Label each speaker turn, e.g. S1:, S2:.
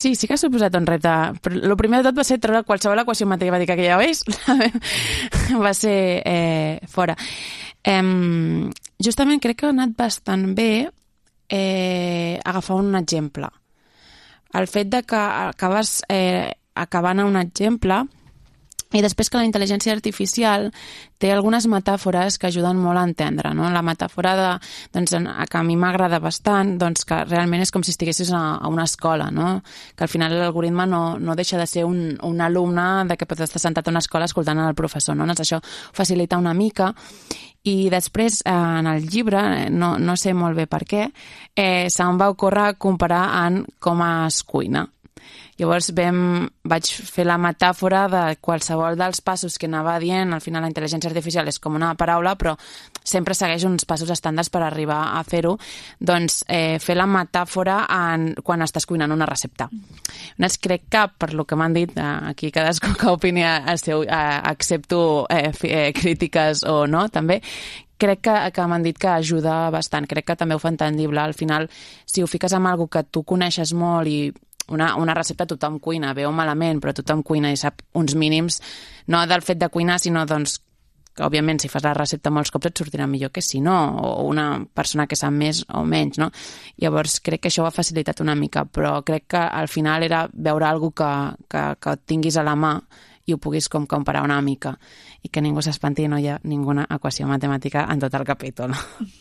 S1: Sí, sí que ha suposat un repte. Però el primer de tot va ser treure qualsevol equació matemàtica que ja veus, va ser fora. Justament crec que ha anat bastant bé agafar un exemple. El fet de que acabes acabant a un exemple i després que la intel·ligència artificial té algunes metàfores que ajuden molt a entendre, no? La metàfora que a mi m'agrada bastant, que realment és com si estiguessis a una escola, no? Que al final l'algoritme no deixa de ser un alumne de que pot estar sentat a una escola escoltant el professor, no? Doncs això facilita una mica. I després, en el llibre, no sé molt bé per què, se'm va ocórrer comparar en com es cuina. Llavors vaig fer la metàfora de qualsevol dels passos que anava dient. Al final la intel·ligència artificial és com una paraula, però sempre segueix uns passos estàndards per arribar a fer-ho. Doncs fer la metàfora quan estàs cuinant una recepta. Llavors crec que, per lo que m'han dit, aquí cadascú que opini el seu, accepto crítiques o no, també, crec que m'han dit que ajuda bastant. Crec que també ho fa entendible. Al final, si ho fiques amb algo que tu coneixes molt i una recepta tothom cuina, bé o malament, però tothom cuina i sap uns mínims, no del fet de cuinar, sinó que òbviament si fas la recepta molts cops et sortirà millor que si no, o una persona que sap més o menys, no? Llavors crec que això ho ha facilitat una mica, però crec que al final era veure alguna cosa que tinguis a la mà i ho puguis com comparar una mica i que ningú s'espanti, no hi ha ninguna equació matemàtica en tot el capítol.